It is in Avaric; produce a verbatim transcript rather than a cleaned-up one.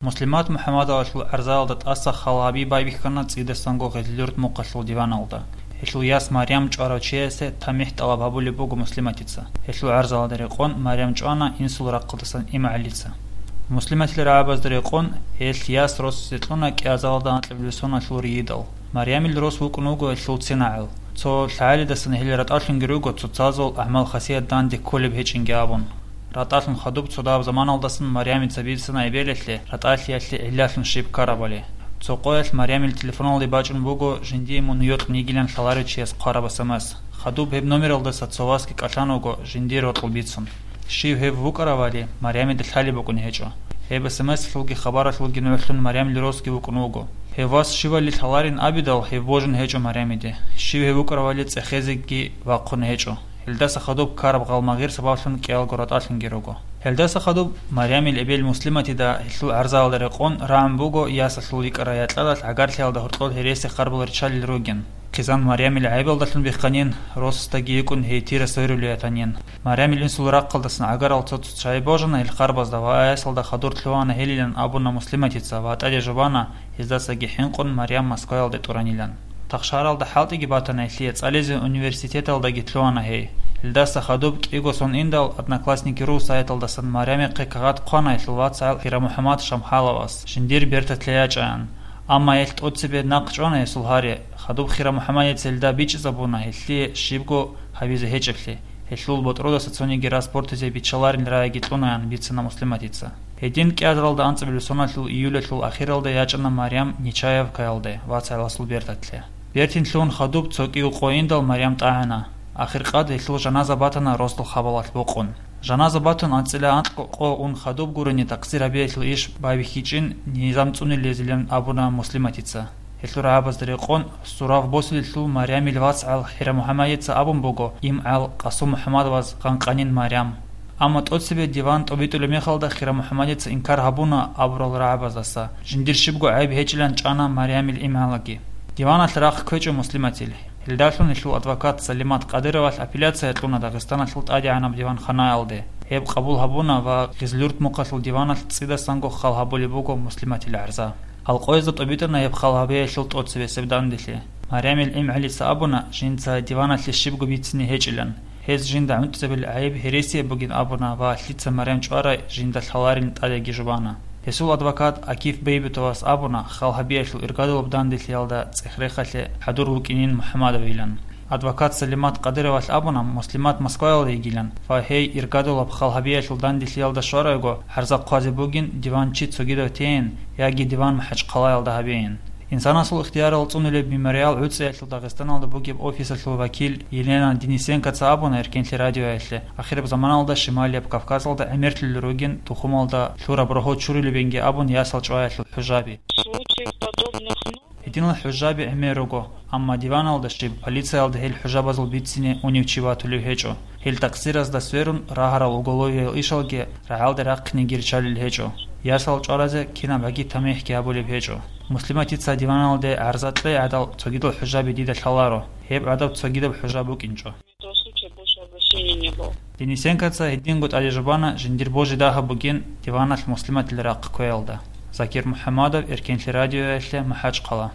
Муслимат МухӀаммадовалъул гӀарзаялда тӀаса хал гьаби байбихьана цӀидасанго Гъезлъюрт мухъалъул диваналда. Гьелъул яс Марям чӀварав чиясе тамихӀ тӀалаб гьабулеб буго Муслиматица. Гьелъул гӀарзаялда рекъон Марям чӀвана инсул рахъалдасан ИмгӀалица. Муслиматил рагӀабазда рекъон гьелъ яс росизе кьуна кӀиазалда анкьабилеб соналъул рийидал. Марямил рос вукӀун вуго гьелъул цинагӀал. Цо лъагӀалидасан гьел ратӀалъунги руго цоцазул гӀамал-хасият данде кколеб гьечӀинги абун. РатӀалъун хадуб цо дагьаб заманалдасан Марямица бицана эбелалъе ратӀалъиялъе гӀиллалъун щиб ккарабали. Цо къоялъ Марямил телефоналде бачӀун буго жиндие мун йокьун йигилан лъаларев чияс хъвараб СМС. Хадуб гьеб номералдаса цо васги кӀалъан вуго жиндир рокьул бицун. Щив гьев вукӀаравали, Марямида лъалеб букӀун гьечӀо. Гьеб СМС-лъулги хабаралъулги нугӀлъун Марямил росги вукӀун вуго. Гьев вас щивали лъаларин абидал, гьев божун гьечӀо Марямиде. Щив гьев вукӀаравали цӀехезеги вахъун гьечӀо. Гьелдаса хадуб ккараб гъалмагъир сабаблъун кӀиялго ратӀалъунги руго. Гьелдаса хадуб Марямил эбел Муслиматида гьелъул гӀарзаялда рекъон рагӀун буго ясалъул йикӀарай якьалалъ гӀагарлъиялда гьоркьор гьереси харбал риччалел ругин. Хъизан Марямил гӀайибалдалъун бихханин, росасдаги йикӀун гьей тира сверулей ятанин. Марямил инсул рахъалдасан гӀагарал цо-цо чагӀи божана гьел харбазда ва ясалда хадур лъугьана гьелилан абуна Муслиматица ва тӀаде жубана, гьездасаги хӀинкъун Марям Москваялде тӀуранилан. Тахшаралда хӀалтӀиги батана гьелъие, цӀализе университеталдаги лъугьана гьей. Гьелдаса хадуб кӀиго сон индал, Одноклассники ру сайталдасан Марямихъе кагъат хъвана гьелъул вацгӀал ХирабмухӀаммад Шамхаловас, жиндир берталъе ячӀаян. Амма гьелъ тӀоцебе нахъ чӀвана гьесул гьари. Хадуб ХирабмухӀаммадица гьелда бичӀчӀизабуна гьелъие щибго гьабизе гьечӀеблъи. Гьелъул ботӀродаса цониги рас бортизе биччаларин рагӀиги кьунаян бицана Муслиматица. Гьедин кӀиазаралда анцӀабилеб соналъул июлалъул ахиралда ячӀана Марям Нечаевкаялде вацгӀаласул берталъе. Бертин лъугьун хадуб цо кӀиго къо индал Марям тӀагӀана. Ахиркъад гьелъул жаназа батана росдал хабалалъ бокъун. Жаназа батун анцӀила анкьго къо ун хадуб гурони такъсир гьабиялъул иш байбихьичӀин низам цӀунилезилан абуна Муслиматица. Гьелъул рагӀабазда рекъон, сурав босилелъул Марямил вацгӀал ХирабмухӀаммадица абун буго, имгӀал КъасумухӀаммадоваз гъанкъанин Марям. Амма тӀоцебе диван тӀобитӀулеб мехалда ХирабмухӀаммадица инкар гьабуна абурал рагӀабаздаса, жиндир щибго гӀайиб гьечӀилан чӀана Марямил имгӀалаги. Диваналъ рахъ кквечӀо Муслиматил. Гьелдалъун гьелъул адвокат Салимат Къадыровалъ апелляция кьуна Дагъистаналъул тӀадегӀанаб диванханаялде. Гьеб къабул гьабуна ва Гъизлюрт мухъалъул диваналъ цӀидасанго хал гьабулеб буго Муслиматил гӀарза. Алкъоязда тӀобитӀана гьеб хал гьабиялъул тӀоцебесеб данделъи. Марямил имгӀалица абуна, жинца диваналъе щибго бицине гьечӀилан. Гьез жинда гӀунтӀизабил гӀайиб гьересияб бугин абуна ва лъица Марям чӀварай жинда лъаларин тӀадеги жубана. Гьесул адвокат Акиф Бейбутовас абуна, хал гьабиялъул иргадулаб данделъиялда цӀех-рехалъе хӀадур вукӀинин МухӀаммадовилан. Адвокат Салимат Къадыровалъ абуна, Муслимат Москваялда йигилан ва гьей иргадулаб хал гьабиялъул данделъиялда щварайго гӀарза хъвазе бугин, диван чи цогидав тейин яги диван МахӀачхъалаялда гьабейин. Инсанасул ихтиярал цӀунулеб мемориал гӀуцӀиялъул Дагъистаналда бугеб офисалъул вакил Елена Денисенкоца абуна Эркенлъи радиоялъе, ахираб заманалда Шималияб Кавказалда гӀемерлъулел ругин тухумалда лъураб рогьо чурулебинги абун ясал чӀваялъул хӀужаби. Случаев подобных много. Гьединал хӀужаби гӀемер руго, амма диваналда щиб полициялда гьел хӀужабазул бицине унев чи ватулев гьечӀо. Гьел такъсиразда сверун рагьарал уголовиял ишалги рагӀалде рахъинеги риччалел гьечӀо. Ясал чӀваразе кинаб гӀаги тамихӀги гьабулеб гьечӀо. Муслиматица диваналде гӀарза кьей гӀадал цогидал хӀужаби дида лъаларо, гьеб гӀадаб цогидаб хӀужа букӀинчӀо. До случая больше обращений не было. Денисенкоца гьединго тӀаде жубана жиндир божи дагьаб бугин диваналъ Муслиматил рахъ кквеялда. Закир МухӀаммадов, Эркенлъи радиоялъе, МахӀачхъала.